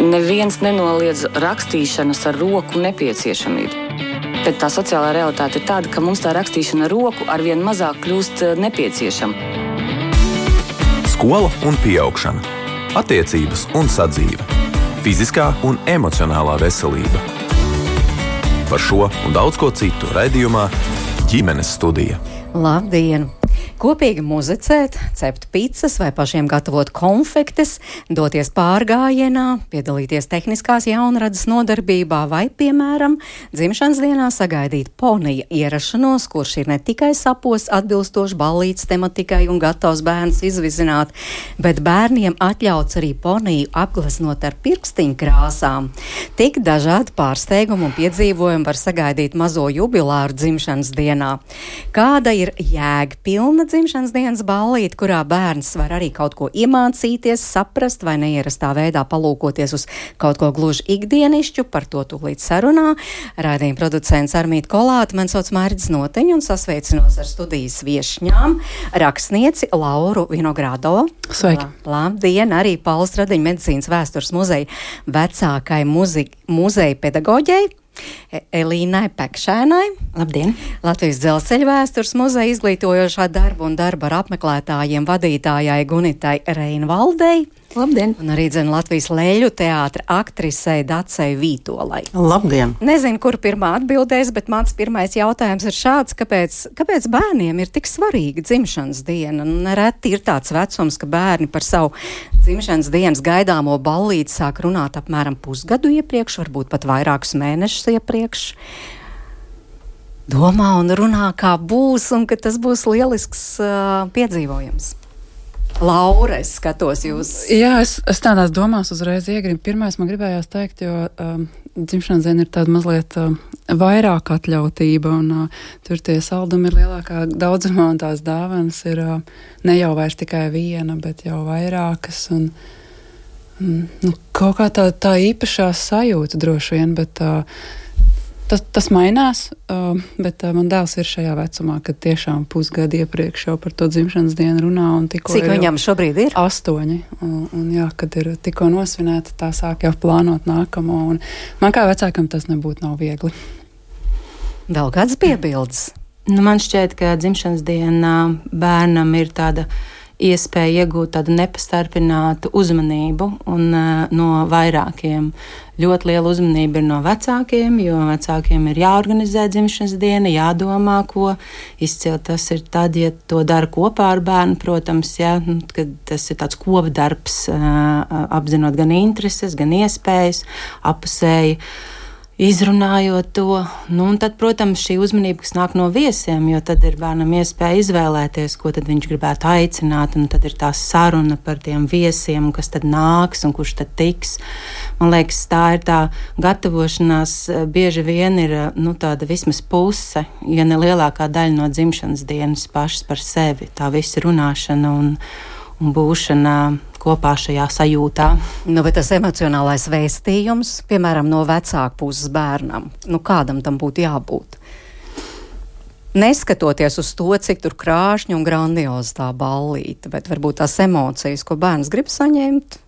Neviens nenoliedz rakstīšanas ar roku nepieciešamību. Bet tā sociālā realitāte ir tāda, ka mums tā rakstīšana ar roku arvien mazāk kļūst nepieciešama. Skola un pieaugšana, attiecības un sadzīve, fiziskā un emocionālā veselība. Par šo un daudz ko citu raidījumā Ģimenes studija. Labdien! Kopīgi muzicēt, cept picas vai pašiem gatavot konfektes, doties pārgājienā, piedalīties tehniskās jaunradas nodarbībā vai, piemēram, dzimšanas dienā sagaidīt ponija ierašanos, kurš ir ne tikai sapos atbilstoši ballītes tematikai un gatavs bērns izvizināt, bet bērniem atļauts arī poniju apgleznot ar pirkstiņu krāsām. Tik dažādi pārsteigumi un piedzīvojumi var sagaidīt mazo jubilāru dzimšanas dienā. Kāda ir jēgpilna dzimšanas dienas ballīte, kurā bērns var arī kaut ko iemācīties, saprast vai neierastā veidā palūkoties uz kaut ko gluži ikdienišķu, par to tūlīt sarunā. Raidījuma producents Armīta Kolāte, man sauc Mārģis Noteņu un sasveicinos ar studijas viešņām, rakstnieci Lauru Vinogrādovu. Sveiki! Labdien! Arī Pauls Radiņa medicīnas vēstures muzeja vecākai muzeja pedagoģei Elīnai Pekšēnai. Labdien! Latvijas Dzelzceļa vēstures muzeja izglītojošā darba un darba ar apmeklētājiem vadītājai Gunitai Reinvaldei. Labdien! Un arī Latvijas Leļu teātra aktrisei Dacei Vītolai. Labdien! Nezinu, kur pirmā atbildēs, bet mans pirmais jautājums ir šāds, kāpēc bērniem ir tik svarīga dzimšanas diena? Nereti ir tāds vecums, ka bērni par savu dzimšanas dienas gaidāmo ballīti sāk runāt apmēram pusgadu iepriekš, varbūt pat vairākus mēnešus iepriekš. Domā un runā, kā būs, un ka tas būs lielisks piedzīvojums. Laura, es skatos jūs. Jā, es tādās domās uzreiz iegribu. Pirmais man gribējās teikt, jo dzimšanas diena ir tāda mazliet vairāk atļautība, un tur tie saldumi ir lielākā daudzumā, un tās dāvanas ir ne jau vairs tikai viena, bet jau vairākas, un kaut kā tā īpašā sajūta droši vien, bet tas mainās, bet man dēls ir šajā vecumā, kad tiešām pusgadu iepriekš jau par to dzimšanas dienu runā. Cik viņam šobrīd ir? 8. Un jā, kad ir tikko nosvinēta, tā sāk jau plānot nākamo. Un man kā vecākam tas nebūtu nav viegli. Vēl kāds piebildes? Man šķiet, ka dzimšanas dienā bērnam ir tāda iespēja iegūt tādu nepastarpinātu uzmanību un no vairākiem. Ļoti liela uzmanība ir no vecākiem, jo vecākiem ir jāorganizē dzimšanas diena, jādomā, ko izcilt. Tas ir tad, ja to dara kopā ar bērnu, protams, ja, kad tas ir tāds kopdarbs, apzinot gan intereses, gan iespējas, apusēji izrunājot to, un tad, protams, šī uzmanība, kas nāk no viesiem, jo tad ir bērnam iespēja izvēlēties, ko tad viņš gribētu aicināt, un tad ir tā saruna par tiem viesiem, kas tad nāks un kurš tad tiks. Man liekas, tā ir tā gatavošanās, bieži vien ir, tāda vismaz puse, ja ne lielākā daļa no dzimšanas dienas pašas par sevi, tā visa runāšana un būšana kopā šajā sajūtā. Bet tas emocionālais vēstījums, piemēram, no vecāku puses bērnam, kādam tam būtu jābūt? Neskatoties uz to, cik tur krāšņi un grandiozi tā ballīte, bet varbūt tās emocijas, ko bērns grib saņemt.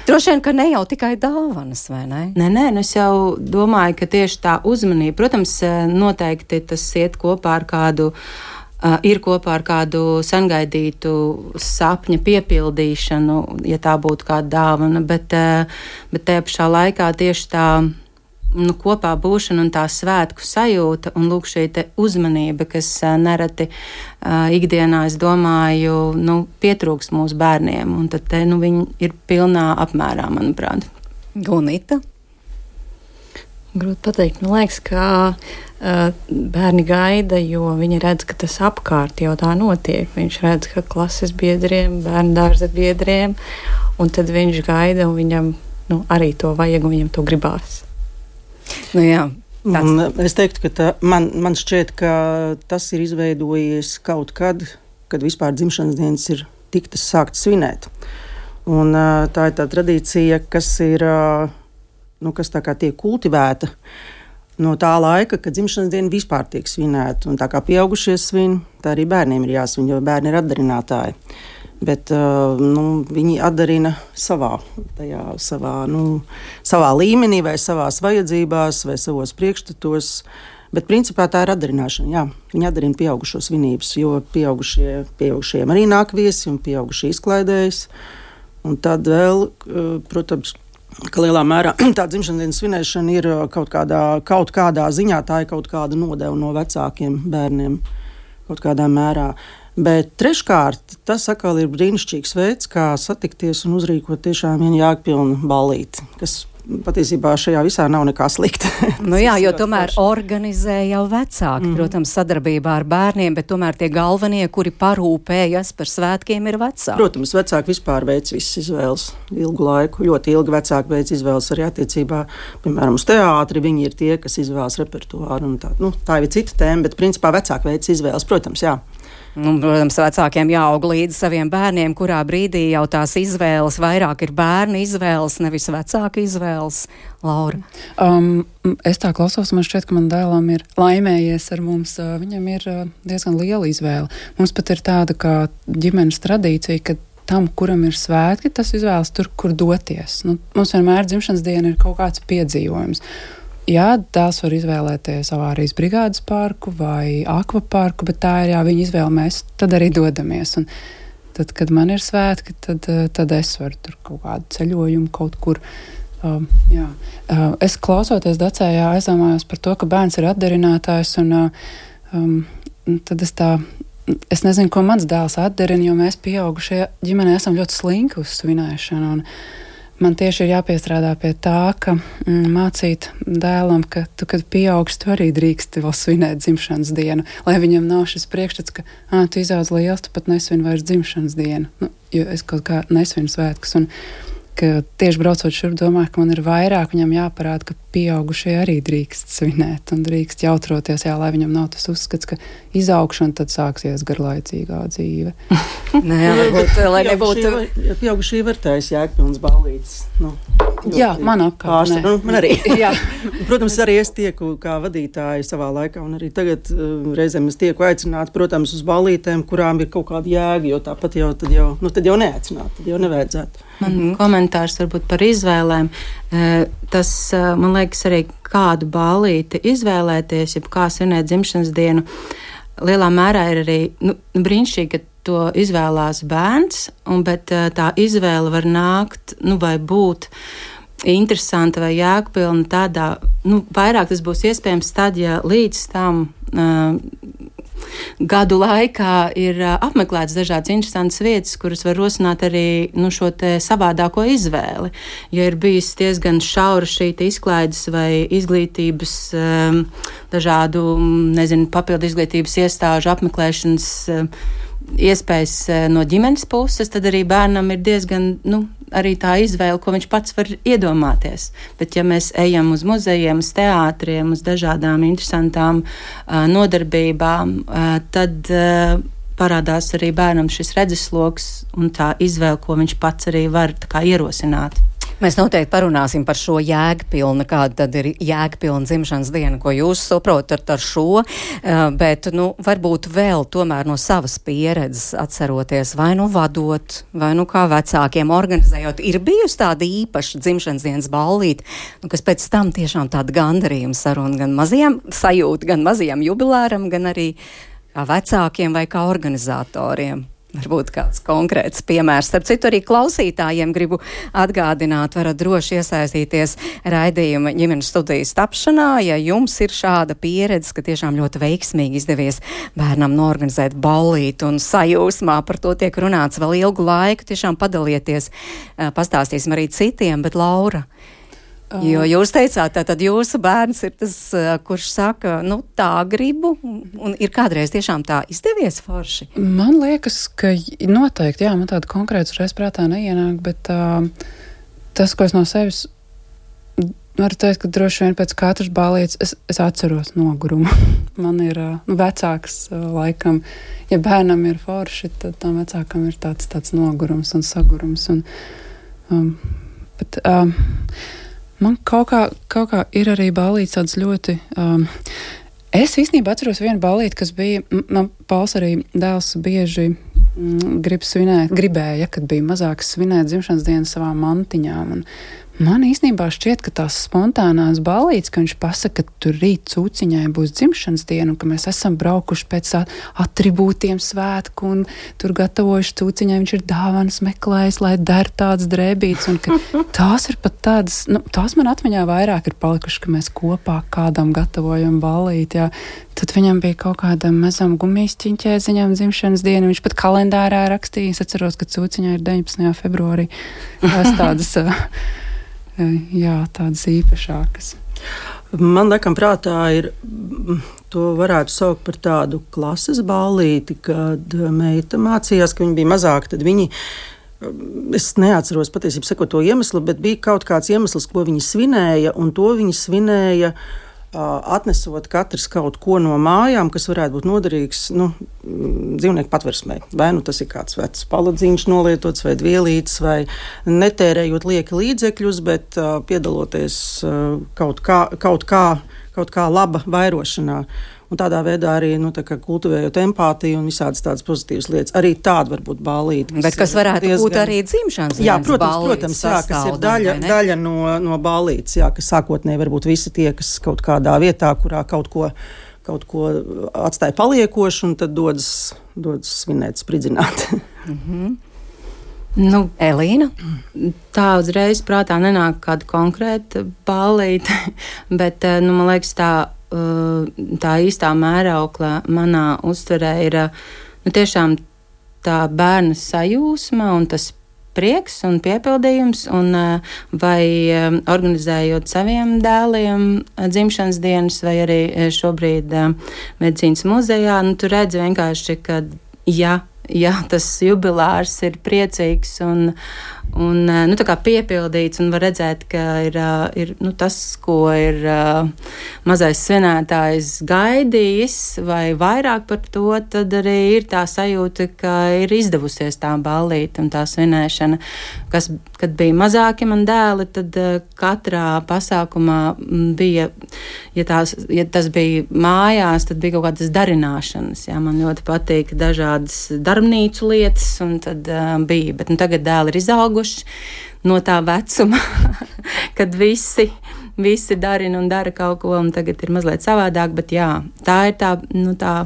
Droši vien, ka ne jau tikai dāvanas, vai ne? Nē, es jau domāju, ka tieši tā uzmanība, protams, noteikti tas iet kopā ar kādu ir kopā ar kādu sengaidītu sapņa piepildīšanu, ja tā būtu kāda dāvana, bet tajā pašā laikā tieši tā kopā būšana un tā svētku sajūta un lūk šī te uzmanība, kas nereti ikdienā, es domāju, pietrūks mūsu bērniem, un tad viņi ir pilnā apmērā, manuprāt. Gunita? Grūti pateikt, man liekas, ka bērni gaida, jo viņi redz, ka tas apkārt jau tā notiek. Viņš redz, ka klases biedriem, bērnu dārza biedriem, un tad viņš gaida, un viņam arī to vajag, un viņam to gribās. Jā. Es teiktu, ka man šķiet, ka tas ir izveidojies kaut kad, kad vispār dzimšanas dienas ir tiktas sāktas svinēt. Un tā ir tā tradīcija, kas ir, kas tā kā tiek kultivēta no tā laika, kad dzimšanas diena vispār tiek svinēta. Un tā kā pieaugušie svin, tā arī bērniem ir jāsvin, jo bērni ir atdarinātāji. Bet viņi atdarina savā līmenī, vai savās vajadzībās, vai savos priekšstatos. Bet principā tā ir atdarināšana. Jā. Viņi atdarina pieaugušo svinības, jo pieaugušiem arī nāk viesi un pieaugušie izklaidējas. Un tad vēl, protams, ka lielā mērā tā dzimšanas dienas svinēšana ir kaut kādā ziņā, tā ir kaut kāda nodeva no vecākiem bērniem kaut kādā mērā. Bet treškārt, tas atkal ir brīnišķīgs veids, kā satikties un uzrīkot tiešām vienu jēgpilnu ballīti, kas patiesībā šajā visā nav nekā slikta. Jo tomēr organizē jau vecāki, protams, sadarbībā ar bērniem, bet tomēr tie galvenie, kuri parūpējas par svētkiem, ir vecāki. Protams, vecāki vispār veic visas izvēles ilgu laiku. Ļoti ilgi vecāki veic izvēles arī attiecībā, piemēram, uz teātri. Viņi ir tie, kas izvēlas repertuāru. Tā ir cita tēma, bet principā vecāki veic izvēles, protams, jā. Protams, vecākiem jāaug līdzi saviem bērniem, kurā brīdī jau tās izvēles vairāk ir bērnu izvēles, nevis vecāku izvēles. Laura? Es tā klausos, man šķiet, ka man dēlam ir laimējies ar mums. Viņam ir diezgan liela izvēle. Mums pat ir tāda kā ģimenes tradīcija, ka tam, kuram ir svētki, tas izvēlas tur, kur doties. Mums vienmēr dzimšanas diena ir kaut kāds piedzīvojums. Jā, dēls var izvēlēties avārijas brigādes parku vai akvaparku, bet tā ir viņa izvēle, mēs tad arī dodamies. Un tad, kad man ir svētki, tad es varu tur kaut kādu ceļojumu kaut kur. Es klausoties Dacējā aizdomājos par to, ka bērns ir atdarinātājs, un tad es nezinu, ko mans dēls atdarina, jo mēs pieaugušie ģimenē esam ļoti slinki uz svinēšanu. Un man tieši ir jāpiestrādā pie tā, ka mācīt dēlam, ka tu, kad pieaugsi, tu arī drīksti vēl svinēt dzimšanas dienu, lai viņam nav šis priekšstats, ka tu izaudz liels, tu pat nesvini vairs dzimšanas dienu, jo es kaut kā nesvinu svētkus, un ka tieši braucot šurp domāju, ka man ir vairāk viņam jāparāda, ka pieaugušie arī drīkst svinēt un drīkst jautroties, lai viņam nav tas uzskats, ka izaugšana tad sāksies garlaicīgā dzīve. Varbūt, lai nebūtu... Pieaugušie var taisa jēgpilns ballītes. Jā, man apkārt. Man arī. Protams, arī es tieku kā vadītāja savā laikā, un arī tagad reizēm es tieku aicināti, protams, uz ballītēm, kurām ir kaut kāda jēga, jo tāpat tad jau neaicināt, tad jau nevajadzētu. Man komentārs varbūt par izvēlēm. Tas, man liekas, arī kādu ballīti izvēlēties, ja kā svinēt dzimšanas dienu, lielā mērā ir arī brīnišķīgi, ka to izvēlās bērns, bet tā izvēle var nākt, vai būt interesanta vai jēgpilna tādā, vairāk tas būs iespējams tad, ja līdz tam gadu laikā ir apmeklēts dažādas interesantas vietas, kuras var rosināt arī šo te savādāko izvēli. Ja ir bijis diezgan šaura šī izklaides vai izglītības, dažādu, papildu izglītības iestāžu apmeklēšanas iespējas no ģimenes puses, tad arī bērnam ir diezgan, arī tā izvēle, ko viņš pats var iedomāties. Bet ja mēs ejam uz muzejiem, uz teātriem, uz dažādām interesantām nodarbībām, tad parādās arī bērnam šis redzesloks un tā izvēle, ko viņš pats arī var ierosināt. Mēs noteikti parunāsim par šo jēgpilnu, kāda tad ir jēgpilna dzimšanas diena, ko jūs saprotat ar šo, bet, varbūt vēl tomēr no savas pieredzes atceroties, vai vadot, vai kā vecākiem organizējot, ir bijusi tāda īpaša dzimšanas dienas ballīte, kas pēc tam tiešām tāda gandarījuma saruna gan mazajam sajūta, gan mazajam jubilēram, gan arī kā vecākiem vai kā organizatoriem. Varbūt kāds konkrēts piemērs. Starp citu, arī klausītājiem gribu atgādināt, varat droši iesaistīties raidījuma ģimenes studijas tapšanā, ja jums ir šāda pieredze, ka tiešām ļoti veiksmīgi izdevies bērnam norganizēt ballīti un sajūsmā par to tiek runāts vēl ilgu laiku. Tiešām padalieties, pastāstīsim arī citiem, bet Laura, jo jūs teicāt, tad jūsu bērns ir tas, kurš saka, tā gribu, un ir kādreiz tiešām tā izdevies forši? Man liekas, ka noteikti, man tāda konkrēta uzreiz prātā neienāk, bet tas, ko es no sevis varu teikt, ka droši vien pēc katras ballītes es atceros nogurumu. Man ir vecāks laikam, ja bērnam ir forši, tad tam vecākam ir tāds nogurums un sagurums. Bet man kaut kā ir arī ballītes tāds ļoti... Es īstenībā atceros vienu ballīti, kas bija... Man Pauls arī dēls bieži gribēja, kad bija mazāks, svinēt dzimšanas dienu savām mantiņām. Un man īstenībā šķiet, ka tās spontānās ballītes, ka viņš pasaka, ka tur rīt cūciņai būs dzimšanas diena, un ka mēs esam braukuši pēc atribūtiem svētku, un tur gatavojuši cūciņai, viņš ir dāvanas meklējis, lai der tāds drēbīts, un ka tās ir pat tādas, tās man atmiņā vairāk ir palikuši, ka mēs kopā kādam gatavojam ballīti, jā. Tad viņam bija kaut kāda mazam gumijsķiņķēziņām dzimšanas diena, viņš pat kalendārā rakstīja, es atceros, ka cūciņai ir 19. februārī. Tās tādas... Jā, tādas īpašākas. Man laikam prātā ir, to varētu saukt par tādu klases ballīti, kad meita mācījās, ka viņa bija mazāka, tad viņi, es neatceros patiesībā sakot to iemeslu, bet bija kaut kāds iemesls, ko viņi svinēja, un to viņi svinēja atnesot katrs kaut ko no mājām, kas varētu būt noderīgs dzīvnieku patversmē. Vai tas ir kāds vecs paladziņš nolietots vai dvielītes, vai netērējot lieki līdzekļus, bet piedaloties kaut kā laba vairošanā. Un tādā veidā arī kultivējot empātiju un visādas tādas pozitīvas lietas. Arī tāda var būt ballīte. Bet kas varētu būt arī dzimšanas dienas protams, jā, kas ir daļa no ballītes, jā, kas sākotnēji varbūt visi tie, kas kaut kādā vietā, kurā kaut ko atstāja paliekoši, un tad dodas svinēt, spridzināt. Elīna? Tā uzreiz prātā nenāk kāda konkrēta ballīte, bet, man liekas, tā īstā mēraukla manā uztverē ir tiešām tā bērna sajūsma un tas prieks un piepildījums, un vai organizējot saviem dēliem dzimšanas dienas, vai arī šobrīd medicīnas muzejā, tu redzi vienkārši, ka ja tas jubilārs ir priecīgs un tā kā piepildīts, un var redzēt, ka ir tas, ko ir mazais svinētājs gaidījis, vai vairāk par to, tad arī ir tā sajūta, ka ir izdevusies tā ballīte un tā svinēšana. Kad bija mazāki man dēli, tad katrā pasākumā bija, ja tas bija mājās, tad bija kaut kādas darināšanas. Jā, man ļoti patīk dažādas darbnīcu lietas, un tad bija, bet tagad dēli ir izauguši no tā vecuma, kad visi darina un dara kaut ko, un tagad ir mazliet savādāk, bet jā, tā ir tā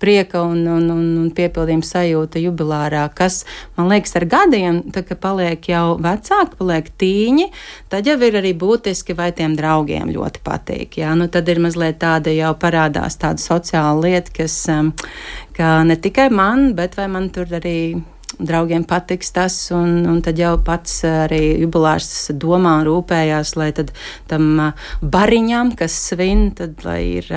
prieka un piepildījuma sajūta jubilārā, kas, man liekas, ar gadiem, tā kā paliek jau vecāki, paliek tīņi, tad jau ir arī būtiski, vai tiem draugiem ļoti patīk. Jā, tad ir mazliet tāda jau parādās tāda sociāla lieta, kas, ka ne tikai man, bet vai man tur arī draugiem patiks tas, un tad jau pats arī jubilārs domā un rūpējās, lai tad tam bariņam, kas svin, tad lai ir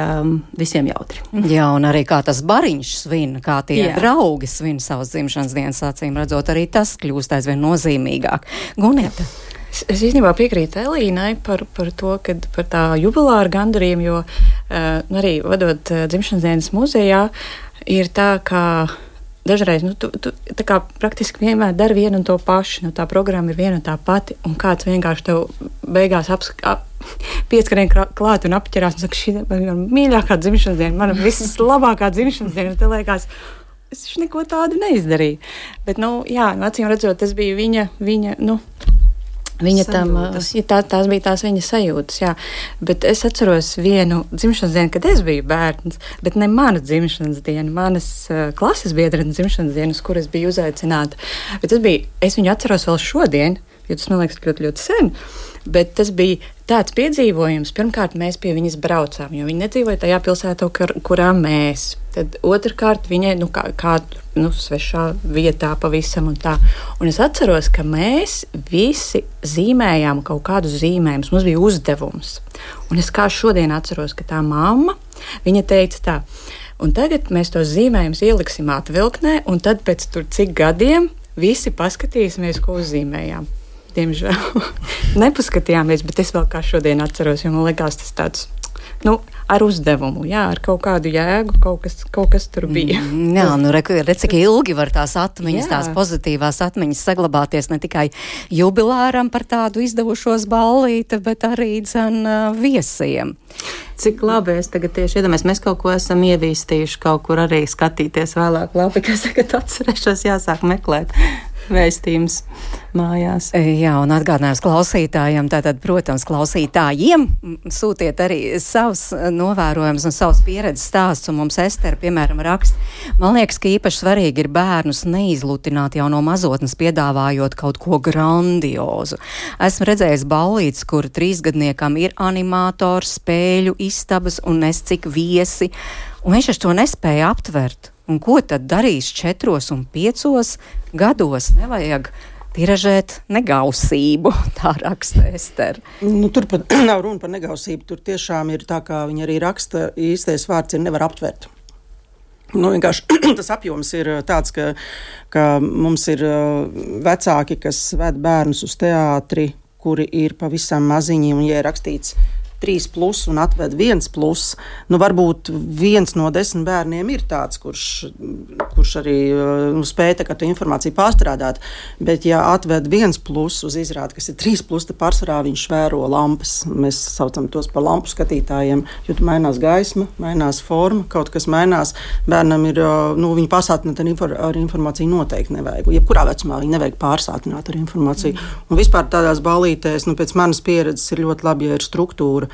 visiem jautri. Jā, un arī kā tas bariņš svin, kā tie draugi svin savas dzimšanas dienas, acīm redzot, arī tas kļūst aizvien nozīmīgāk. Guneta? Es īstenībā piekrītu Elīnai par to, kad par tā jubilāra gandarījumu, jo arī vadot dzimšanas dienas muzejā, ir tā, ka dažreiz tu tā kā praktiski vienmēr dari vienu un to pašu. Tā programma ir viena un tā pati, un kāds vienkārši tev beigās pieskarien klāt un apķerās un saka, šī ir mana mīļākā dzimšanas diena, mana vislabākā dzimšanas diena. Te liekas, es neko tādu neizdarīju. Bet, acīm redzot, tas bija viņa tam, tās bija tās viņa sajūtas, jā. Bet es atceros vienu dzimšanas dienu, kad es biju bērns, bet ne mana dzimšanas diena, manas klases biedrenes dzimšanas dienas, kuras biju uzaicināta. Bet es viņu atceros vēl šodien, jo tas man liekas ļoti, ļoti sen, bet tas bija tāds piedzīvojums. Pirmkārt, mēs pie viņas braucām, jo viņa nedzīvoja tajā pilsētā, kurā mēs. Tad otrkārt, viņai svešā vietā pavisam un tā. Un es atceros, ka mēs visi zīmējām kaut kādus zīmējumus. Mums bija uzdevums. Un es kā šodien atceros, ka tā mamma, viņa teica tā, un tagad mēs tos zīmējumus ieliksim atvilknē, un tad pēc cik gadiem visi paskatīsimies, ko uzzīmējām. Diemžēl nepaskatījāmies, bet es vēl kā šodien atceros, jo man liekas tas tāds, ar uzdevumu, jā, ar kaut kādu jēgu, kaut kas tur bija. Jā, nu redz, cik ilgi var tās atmiņas, tās pozitīvās atmiņas saglabāties ne tikai jubilāram par tādu izdevušos ballīti, bet arī viesiem. Cik labi, es tagad tieši iedomājos, mēs kaut ko esam ievīstījuši, kaut kur arī skatīties vēlāk labi, kas tagad atcerēšos, jāsāk meklēt vēstījums mājās. Jā, un atgādinājums klausītājiem, tātad, protams, klausītājiem sūtiet arī savus novērojumus un savus pieredzes stāstus, un mums Estere, piemēram, raksta. Man liekas, ka īpaši svarīgi ir bērnus neizlutināt jau no mazotnes, piedāvājot kaut ko grandiozu. Esmu redzējis ballītes, kur 3-gadniekam ir animators, spēļu istabas un cik viesi, un viņš to nespēja aptvert. Un ko tad darīs 4 un 5 gados? Nevajag tiražēt negausību, tā raksta Estere. Nu, tur pat nav runa par negausību, tur tiešām ir tā, kā viņa arī raksta, īstais vārds ir nevar aptvert. Nu, vienkārši tas apjoms ir tāds, ka mums ir vecāki, kas ved bērnus uz teātri, kuri ir pavisam maziņi, un ja ir rakstīts 3+ un atved 1+, nu varbūt 1 no 10 bērniem ir tāds, kurš arī spēja to informāciju pārstrādāt, bet ja atved 1+ uz izrādi, kas ir 3+, tad pārsvarā viņš vēro lampas. Mēs saucam tos par lampu skatītājiem, jo mainās gaisma, mainās forma, kaut kas mainās. Bērnam ir, viņi pārsātināt ar informāciju noteikti nevajag. Jebkurā vecumā viņi nevajag pārsātināt ar informāciju. Un vispār tādās ballītēs, pēc manas pieredzes ir ļoti labi, ja ir struktūra.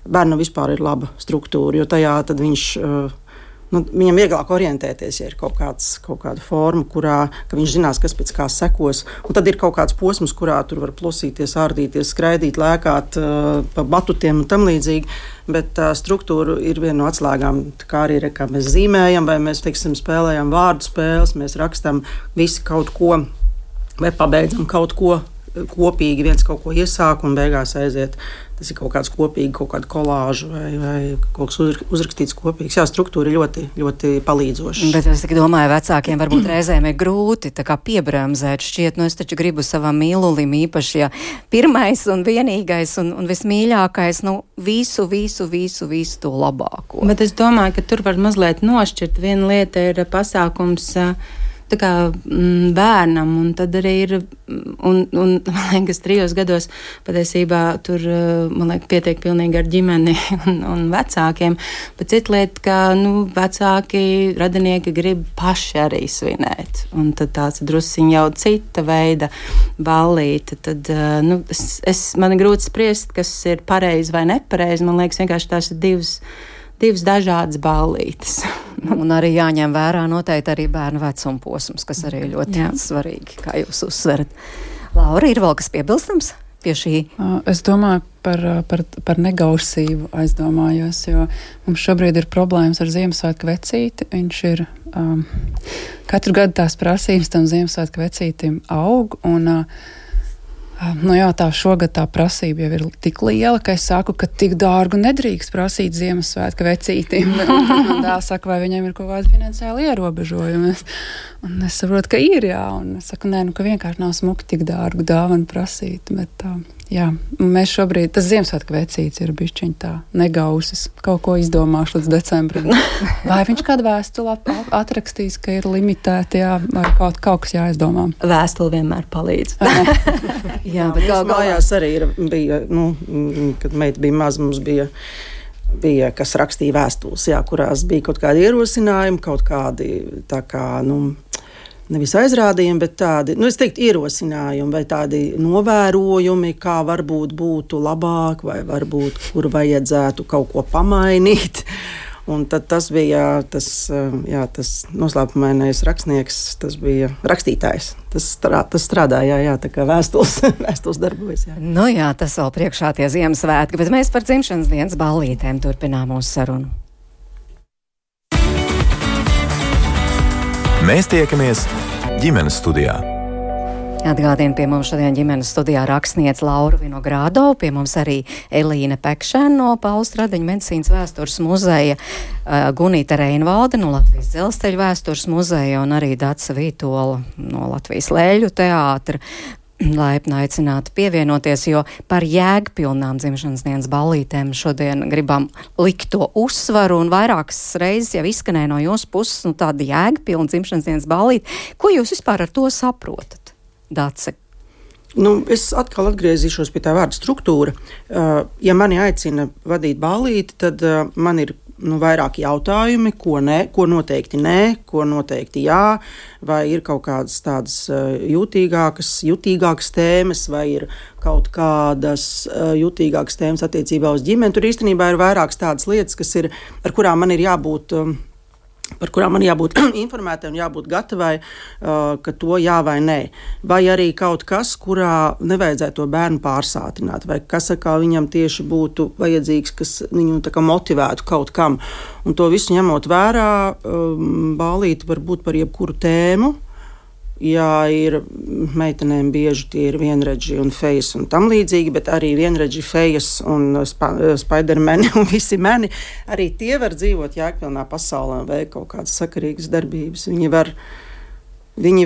Bērnam vispār ir laba struktūra, jo tajā tad viņam vieglāk orientēties, ja ir kaut kāda forma, ka viņš zinās, kas pēc kā sekos. Un tad ir kaut kāds posms, kurā tur var plusīties, ārdīties, skraidīt, lēkāt pa batutiem un tam līdzīgi. Bet struktūra ir viena no atslēgām. Kā arī kā mēs zīmējam, vai mēs, spēlējam vārdu spēles, mēs rakstam visi kaut ko, vai pabeidzam kaut ko kopīgi, viens kaut ko iesāk un beigās aiziet. Tas ir kaut kāds kopīgi, kaut kāda kolāža vai kaut kas uzrakstīts kopīgs. Jā, struktūra ir ļoti, ļoti palīdzoša. Bet es domāju, vecākiem varbūt reizēm ir grūti tā kā piebremzēt. Šķiet, es taču gribu savam mīlulim īpaši, ja pirmais un vienīgais un vismīļākais, visu to labāko. Bet es domāju, ka tur var mazliet nošķirt. Viena lieta ir pasākums tā kā bērnam, un tad arī ir, un man liekas, 3 gados patiesībā tur, man liekas, pietiek pilnīgi ar ģimeni un vecākiem, bet cita lieta, ka, vecāki, radinieki grib paši arī svinēt, un tad tāds drusciņ jau cita veida ballīte, tad, man ir grūti spriest, kas ir pareizi vai nepareizi, man liekas, vienkārši tās ir divas dažādas ballītes. Un arī jāņem vērā noteikti arī bērnu vecuma posms, kas arī ļoti svarīgi, kā jūs uzsverat. Laura, ir vēl kas piebilstams pie šī? Es domāju par negausību aizdomājos, jo mums šobrīd ir problēmas ar Ziemassvētku vecīti. Viņš ir katru gadu tās prasības tam Ziemassvētku vecītim aug, un tā šogad tā prasība jau ir tik liela, ka es saku, ka tik dārgu nedrīkst prasīt Ziemassvētku vecītīm. Man dēls saka, vai viņiem ir kaut kāda finansiāla ierobežojuma. Un es saprotu, ka ir, jā. Un es saku, ka vienkārši nav smuki tik dārgu dāvanu prasīt. Bet, mēs šobrīd, tas Ziemassvētku vecīts ir bišķiņ tā negausis. Kaut ko izdomāšu līdz decembrim. Vai viņš kādu vēstuli atrakstīs, ka ir limitēti, vai kaut kas jāizdomā? Vēstuli vienmēr palīdz. Jā, bet mājās arī bija, kad meita bija maza, mums bija, kas rakstīja vēstules, kurās bija kaut kādi ierosinājumi, kaut kādi tā kā, nevis aizrādījumi, bet tādi, es teiktu, ierosinājumi vai tādi novērojumi, kā varbūt būtu labāk, vai varbūt, kur vajadzētu kaut ko pamainīt. Un tad tas bija tas noslēpumainais rakstnieks, tas bija rakstītājs. Tas strādāja, tā kā vēstules darbojas. Jā. Tas vēl priekšā tie Ziemassvētki, bet mēs par dzimšanas dienas ballītēm turpinām mūsu sarunu. Mēs tiekamies ģimenes studijā. Atgādina pie mums šodien ģimenes studijā rakstniece Laura Vinogradova, pie mums arī Elīna Pekšēna no Paula Stradiņa medicīnas vēstures muzeja, Gunīta Reinvalde no Latvijas dzelzceļa vēstures muzeja un arī Dace Vītola no Latvijas Lēļu teātra. laipni aicināti pievienoties, jo par jēgpilnām dzimšanas dienas ballītēm šodien gribam likt to uzsvaru, un vairākas reizes jau izskanēja no jūsu puses, tāda jēgpilna dzimšanas dienas ballīte. Ko jūs vispār ar to saprotat, Dace? Es atkal atgriezīšos pie tā vārda struktūra. Ja mani aicina vadīt ballīti, tad man ir vairāki jautājumi, ko noteikti nē, ko noteikti jā, vai ir kaut kādas tādas jutīgākas tēmas, vai ir kaut kādas jutīgākas tēmas attiecībā uz ģimeni. Tur īstenībā ir vairākas tādas lietas, par kurām man ir jābūt informētai un jābūt gatavai, ka to jā vai nē. Vai arī kaut kas, kurā nevajadzētu to bērnu pārsātināt, vai kas viņam tieši būtu vajadzīgs, kas viņu tā kā motivētu kaut kam. Un to visu ņemot vērā, ballīte var būt par jebkuru tēmu. Jā, ir meitenēm bieži tie ir vienredži un fejas un tam līdzīgi, bet arī vienredži fejas un spaidermeni un visi meni. Arī tie var dzīvot jēgpilnā pasaulē un veikt kaut kādas sakarīgas darbības. Viņi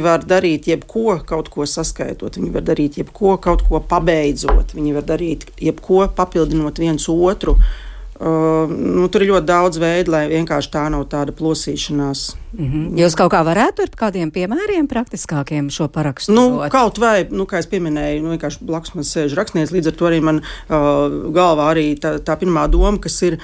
var darīt jebko, kaut ko saskaitot, viņi var darīt jebko, kaut ko pabeidzot, viņi var darīt jebko, papildinot viens otru. Tur ir ļoti daudz veidu, lai vienkārši tā nav tāda plosīšanās. Jūs kaut kā varētu ar kādiem piemēriem praktiskākiem šo parakstu? Kaut vai, kā es pieminēju, vienkārši blakus man sēž rakstnieks, līdz ar to arī man galvā arī tā pirmā doma, kas ir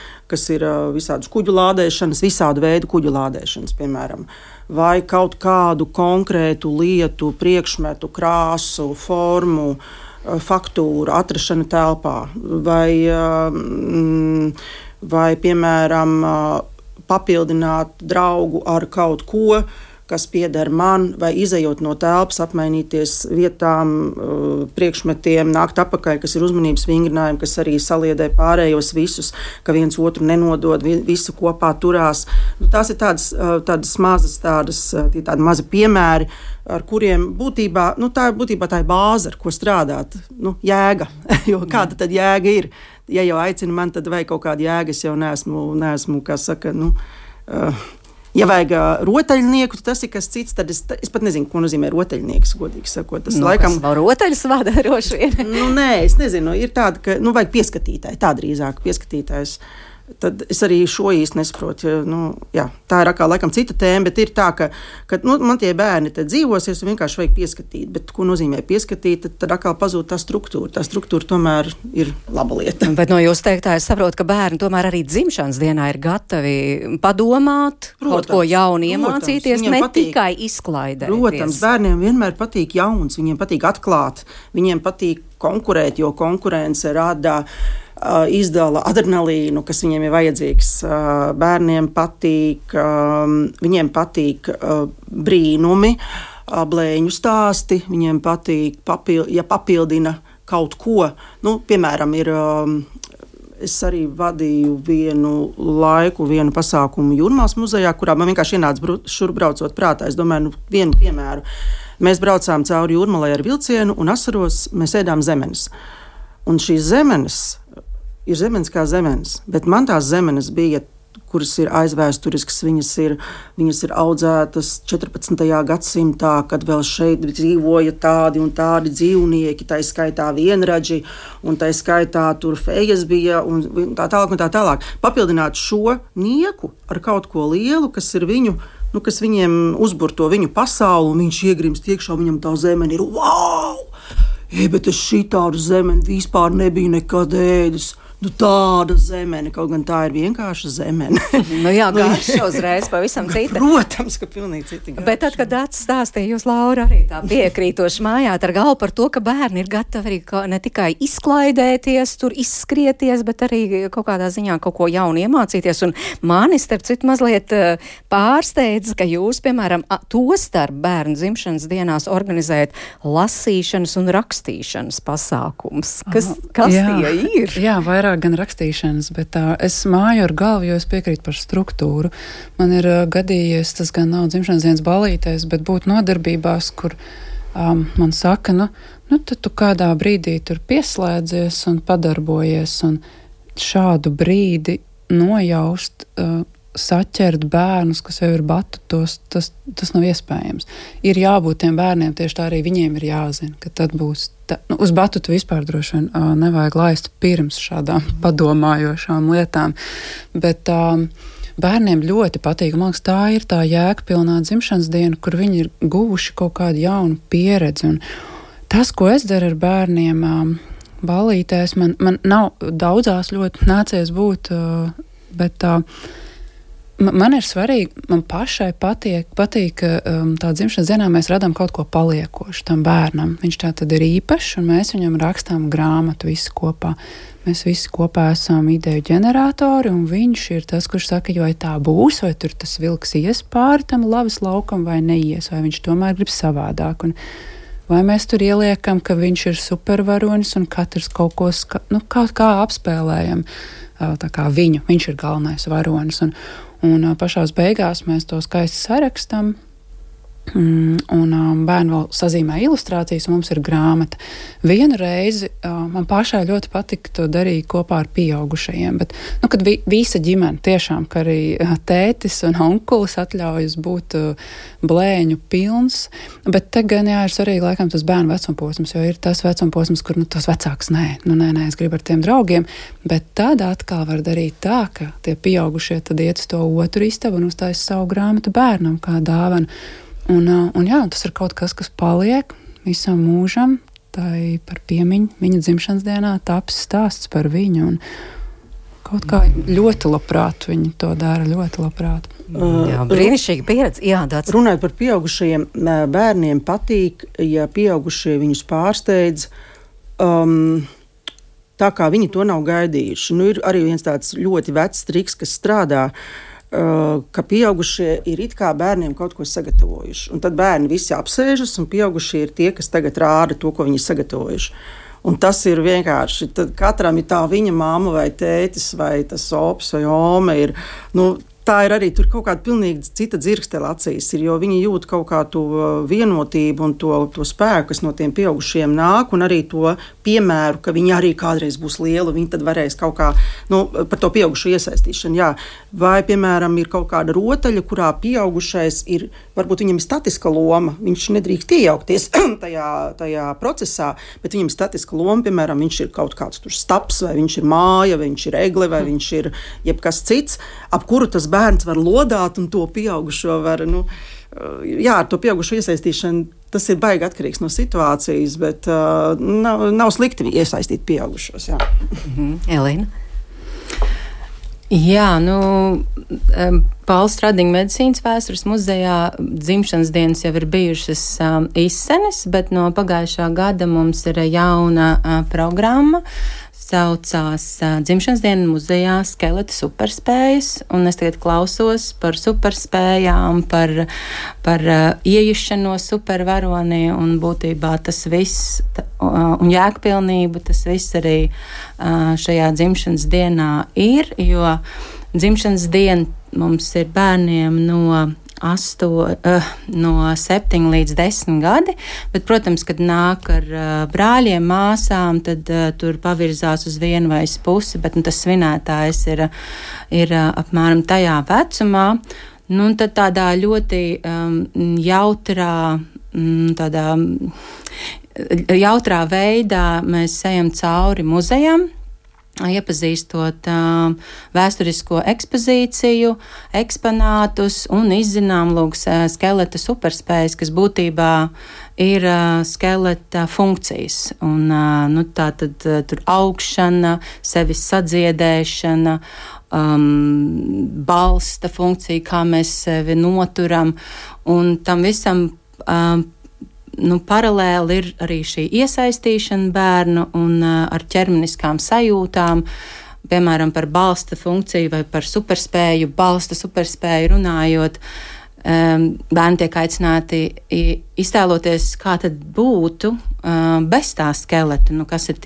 visādas kuģu lādēšanas, visādu veidu kuģu lādēšanas, piemēram. Vai kaut kādu konkrētu lietu, priekšmetu, krāsu, formu, faktūru atrašana telpā, vai piemēram, papildināt draugu ar kaut ko, kas pieder man, vai izejot no telpas, apmainīties vietām, priekšmetiem, nākt apakaļ, kas ir uzmanības vingrinājumi, kas arī saliedē pārējos visus, ka viens otru nenodod, visu kopā turās. Tās ir tādas mazas, tādi mazi piemēri, ar kuriem būtībā tā ir bāze, ar ko strādāt, jēga, jo kāda tad jēga ir? Ja jau aicina man, tad vai kaut kāda jēga, es jau neesmu, kā saka, ja vajag rotaļnieku, tas ir kas cits, tad es pat nezinu, ko nozīmē rotaļnieks, godīgi sakot. Tas laikam... Kas nav rotaļas vada droši vien? Nē, es nezinu, ir tāda, ka, vajag pieskatītāji, tā drīzāk pieskatītājs. Tad es arī šo īsti nesaprotu. Tā ir atkal laikam cita tēma, bet ir tā, ka man tie bērni te dzīvosies un vienkārši vajag pieskatīt. Bet ko nozīmē pieskatīt, tad atkal pazūd tā struktūra. Tā struktūra tomēr ir laba lieta. Bet no jūs teiktā es saprotu, ka bērni tomēr arī dzimšanas dienā ir gatavi padomāt, kaut ko jaunu iemācīties, ne tikai izklaidēties. Protams, bērniem vienmēr patīk jauns, viņiem patīk atklāt, viņiem patīk konkurēt, jo konkurence rada izdala adrenalīnu, kas viņiem ir vajadzīgs. Bērniem patīk, viņiem patīk brīnumi, blēņu stāsti, viņiem patīk, ja papildina kaut ko. Piemēram, es arī vadīju vienu pasākumu Jūrmālas muzejā, kurā man vienkārši ienāca šurp braucot prātā. Es domāju, vienu piemēru. Mēs braucām cauri Jūrmalai ar vilcienu un asaros mēs ēdām zemenes. Un šīs zemenes ir zemenes kā zemenes, bet man tās zemenes bija, kuras ir aizvēsturiskas, viņas ir audzētas 14. gadsimtā, kad vēl šeit dzīvoja tādi un tādi dzīvnieki, tā skaitā vienradži, un tā skaitā tur fejas bija, un tā tālāk. Papildināt šo nieku ar kaut ko lielu, kas ir viņu, kas viņiem uzbur to viņu pasauli, un viņš iegrimst iekšā, viņam tā zemene ir, wow! Bet es šitādu zemeni vispār nebiju nekad ēdis. Tāda zemene, kaut gan tā ir vienkārša zemene. Garša uzreiz pavisam cita. Protams, ka pilnīgi cita garša. Bet tad, kad atstāstīja jūs, Laura, arī tā piekrītoši mājāt ar galvu par to, ka bērni ir gatavi arī ne tikai izklaidēties, tur izskrieties, bet arī kaut kādā ziņā kaut ko jaunu iemācīties. Un mani, starp citu, mazliet pārsteidz, ka jūs, piemēram, to starp bērnu dzimšanas dienās organizējat lasīšanas un rakstīšanas pasākums. Kas tie ir? Jā, vairāk gan rakstīšanas, bet es māju ar galvu, jo es piekrītu par struktūru. Man ir gadījies, tas gan nav dzimšanas dienas ballītēs, bet būt nodarbībās, kur man saka, tad tu kādā brīdī tur pieslēdzies un padarbojies, un šādu brīdi nojaust saķert bērnus, kas jau ir batutos, tas nav iespējams. Ir jābūt tiem bērniem, tieši tā arī viņiem ir jāzina, ka tad būs. Uz batutu vispār droši vien nevajag laist pirms šādām padomājošām lietām, bet bērniem ļoti patīk. Man liekas, tā ir tā jēgpilnā dzimšanas diena, kur viņi ir guvuši kaut kādu jaunu pieredzi. Un tas, ko es daru ar bērniem ballītēs, man nav daudzās ļoti nācies būt, bet man ir svarīgi, man pašai patīk, ka tā dzimšanas dienā mēs radām kaut ko paliekošu tam bērnam. Viņš tā tad ir īpašs, un mēs viņam rakstām grāmatu visi kopā. Mēs visi kopā esam ideju ģeneratori, un viņš ir tas, kurš saka, vai tā būs, vai tur tas vilks ies pāri tam lavas laukam, vai neies, vai viņš tomēr grib savādāk. Un vai mēs tur ieliekam, ka viņš ir supervaronis, un katrs kaut ko kā apspēlējam, tā kā viņš ir galvenais varonis. Un pašās beigās mēs to skaisti sarakstam, un bērni vēl sazīmē ilustrācijas, un mums ir grāmata. Vienu reizi man pašai ļoti patika to darīt kopā ar pieaugušajiem, bet, kad visa ģimene, tiešām, ka arī tētis un onkulis atļaujas būt blēņu pilns, bet te gan ir svarīgi laikam tas bērnu vecumposms, jo ir tas vecumposms, kur tas vecāks nē, es gribu ar tiem draugiem, bet tad atkal var darīt tā, ka tie pieaugušie tad iet uz to otru istabu un uztaisa savu grāmatu bērnam kā dāvanu. Un tas ir kaut kas paliek visam mūžam, tai par piemiņu viņa dzimšanas dienā taps stāsts par viņu, un kaut kā ļoti labprāt viņi to dara, ļoti labprāt. Jā, brīnišķīga pieredze. Jā, tāds. Runājot par pieaugušajiem, bērniem patīk, ja pieaugušie viņus pārsteidz, tā kā viņi to nav gaidījuši. Ir arī viens tāds ļoti vecs triks, kas strādā, ka pieaugušie ir it kā bērniem kaut ko sagatavojuši. Un tad bērni visi apsēžas, un pieaugušie ir tie, kas tagad rāda to, ko viņi ir sagatavojuši. Un tas ir vienkārši, tad katram ir tā viņa mamma vai tētis vai tas ops vai ome ir, tā ir arī tur kaut kāda pilnīgi cita dzirkstele acīs, jo viņi jūt kaut kā to vienotību un to spēku, kas no tiem pieaugušiem nāk, un arī to piemēru, ka viņi arī kādreiz būs lieli, viņi tad varēs kaut kā, par to pieaugušo iesaistīšanu, jā. Vai, piemēram, ir kaut kāda rotaļa, kurā pieaugušais ir, varbūt viņam ir statiska loma, viņš nedrīkst iejaukties tajā procesā, bet viņam ir statiska loma, piemēram, viņš ir kaut kāds tur staps, vai viņš ir māja, vai viņš ir egle, vai viņš ir jebkas cits, ap kuru tas bērns var lodāt, un to pieaugušo var, ar to pieaugušo iesaistīšanu, tas ir baigi atkarīgs no situācijas, bet nav slikti iesaistīt pieaugušos, jā. Elīna? Jā, Pauls Stradiņa medicīnas vēstures muzejā dzimšanas dienas jau ir bijušas izsenes, bet no pagājušā gada mums ir jauna programma, saucās dzimšanas diena muzejā Skeleta superspējas, un es tagad klausos par superspējām, par iejušanos supervaronī, un būtībā tas viss, un jēgpilnību, tas viss arī šajā dzimšanas dienā ir, jo dzimšanas diena mums ir bērniem no 7 līdz 10 gadi, bet, protams, kad nāk ar brāļiem, māsām, tad tur pavirzās uz vienu vai uz pusi, bet tas svinētājs ir apmēram tajā vecumā. Un tad tādā ļoti jautrā veidā mēs ejam cauri muzejam, iepazīstot vēsturisko ekspozīciju, eksponātus un izzinām skeleta superspējas, kas būtībā ir skeleta funkcijas. Un, tā tad tur augšana, sevis sadziedēšana, balsta funkcija, kā mēs sevi noturam, un tam visam paralēli ir arī šī iesaistīšana bērnu un ar ķermeniskām sajūtām, piemēram, par balsta funkciju vai par superspēju, balsta superspēju runājot. Bērni tiek aicināti iztēloties, kā tad būtu bez tā skeleta, kas ir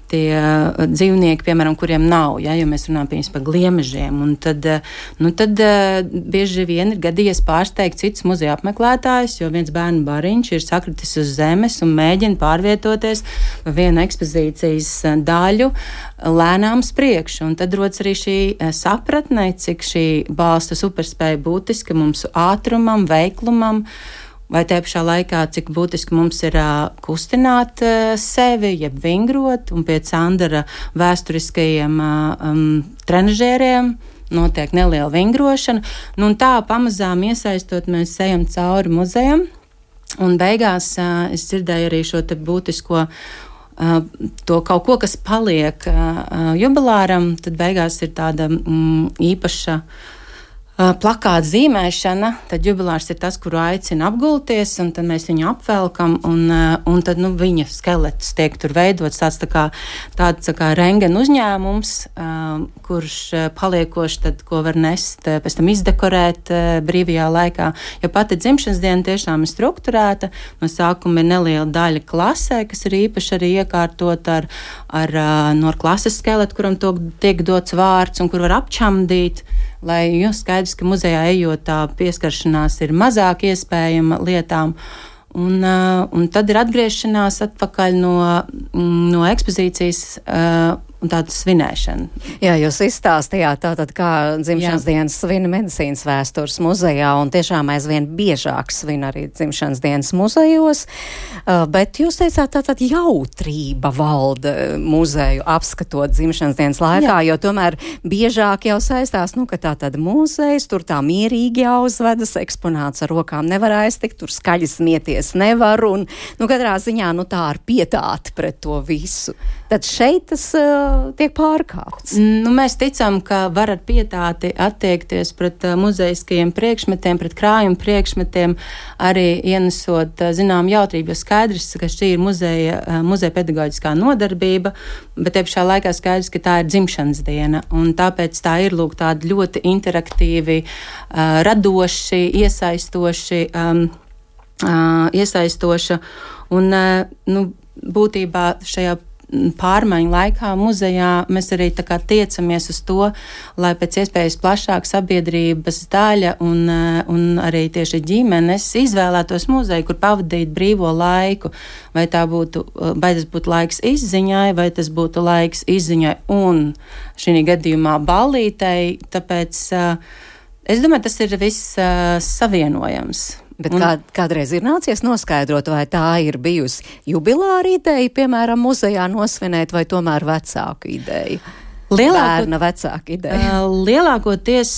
dzīvnieki, piemēram, kuriem nav, ja mēs runājam par gliemežiem. Un tad bieži vien ir gadījies pārsteigt citus muzeja apmeklētājus, jo viens bērnu bariņš ir sakritis uz zemes un mēģina pārvietoties pa vienu ekspozīcijas daļu lēnām uz priekšu. Un tad rodas arī šī sapratne, cik šī balsta superspēja būtiska mums ātrumam, veiklumam, vai te pašā laikā, cik būtiski mums ir kustināt sevi, jeb vingrot, un pēc Andara vēsturiskajiem trenažēriem notiek neliela vingrošana. Un tā pamazām iesaistot, mēs ejam cauri muzejam, un beigās es dzirdēju arī šo te būtisko to kaut ko, kas paliek jubilāram, tad beigās ir tāda īpaša plakāta zīmēšana, tad jubilārs ir tas, kuru aicina apgulties, un tad mēs viņu apvelkam, un tad viņa skelets tiek tur veidots tāds tā kā rengena uzņēmums, kurš paliekoši tad, ko var nest, pēc tam izdekorēt brīvajā laikā. Ja pati dzimšanas diena tiešām ir strukturēta, no sākuma ir neliela daļa klasē, kas ir īpaši arī iekārtot ar klases skeletu, kuram tiek dots vārds un kur var apčamdīt, lai skaidrs, ka muzejā ejot tā pieskaršanās ir mazāk iespējama lietām. Un tad ir atgriešanās atpakaļ no ekspozīcijas un tāda svinēšana. Jā, jūs izstāstījāt tātad, kā dzimšanas dienas svina medicīnas vēstures muzejā, un tiešām aizvien biežāk svin arī dzimšanas dienas muzejos, bet jūs teicāt, tātad jautrība valda muzeju apskatot dzimšanas dienas laikā, jo tomēr biežāk jau saistās, ka tātad muzejs, tur tā mierīgi jāuzvedas, eksponāts ar rokām nevar aiztikt, tur skaļi smieties nevar, un katrā ziņā tā ar pietāti pret to visu. Tad šeit tas tiek pārkāpts. Mēs ticam, ka var ar pietāti attiekties pret muzeiskajiem priekšmetiem, pret krājuma priekšmetiem, arī ienesot zinām jautrību, jo skaidrs, ka šī ir muzeja pedagoģiskā nodarbība, bet te pašā laikā skaidrs, ka tā ir dzimšanas diena, un tāpēc tā ir tāda ļoti interaktīvi, radoši, iesaistoša, un būtībā šajā pārmaiņu laikā muzejā mēs arī tiecamies uz to, lai pēc iespējas plašāk sabiedrības daļa un arī tieši ģimenes izvēlētos muzeju, kur pavadīt brīvo laiku. Vai tas būtu laiks izziņai, vai tas būtu laiks izziņai un šī gadījumā ballītei. Tāpēc es domāju, tas ir viss savienojams. Bet kādreiz ir nācies noskaidrot, vai tā ir bijusi jubilāra ideja, piemēram, muzejā nosvinēt, vai tomēr vecāku ideja? Bērna vecāka ideja. Lielākoties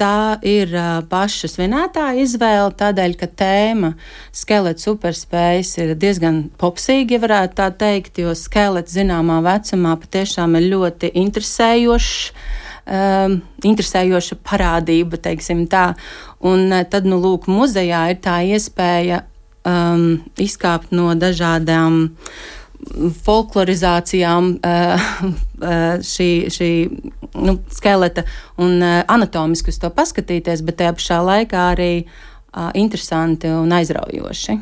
tā ir paša svinētāja izvēle, tādēļ, ka tēma skelets superspējas ir diezgan popsīga, ja varētu tā teikt, jo skelets zināmā vecumā patiešām ir ļoti interesējoša parādība, teiksim tā. Un tad, muzejā ir tā iespēja izkāpt no dažādām folklorizācijām šī skeleta un anatomiski uz to paskatīties, bet tajā pašā laikā arī interesanti un aizraujoši.